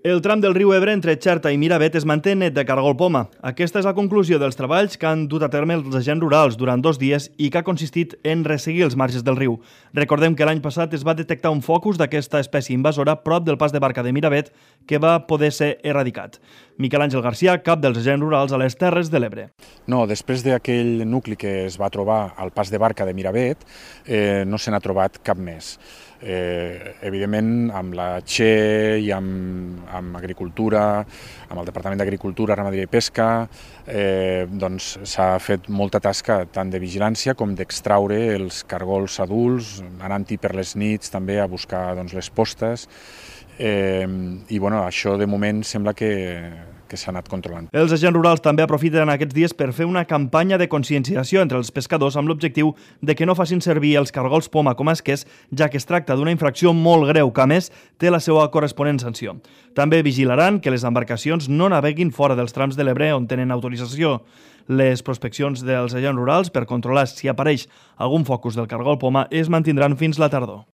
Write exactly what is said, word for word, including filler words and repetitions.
El tram del riu Ebre entre Xerta i Miravet es manté net de cargol poma. Aquesta és la conclusió dels treballs que han dut a terme els agents rurals durant dos dies i que ha consistit en resseguir els marges del riu. Recordem que l'any passat es va detectar un focus d'aquesta espècie invasora prop del pas de barca de Miravet que va poder ser erradicat. Miquel Àngel Garcia, cap dels agents rurals a les Terres de l'Ebre. No, després d'aquell nucli que es va trobar al pas de barca de Miravet, eh, no se n'ha trobat cap més. Eh, evidentment, amb la Che i amb, amb Agricultura, amb el Departament d'Agricultura, Ramaderia i Pesca, eh, doncs s'ha fet molta tasca tant de vigilància com d'extraure els cargols adults, anant-hi per les nits també a buscar doncs, les postes, eh, i bueno, això de moment sembla que que s'ha anat controlant. Els agents rurals també aprofiten aquests dies per fer una campanya de conscienciació entre els pescadors amb l'objectiu de que no facin servir els cargols poma com a esquers, ja que es tracta d'una infracció molt greu que, a més, té la seva corresponent sanció. També vigilaran que les embarcacions no naveguin fora dels trams de l'Ebre on tenen autorització. Les prospeccions dels agents rurals per controlar si apareix algun focus del cargol poma es mantindran fins la tardor.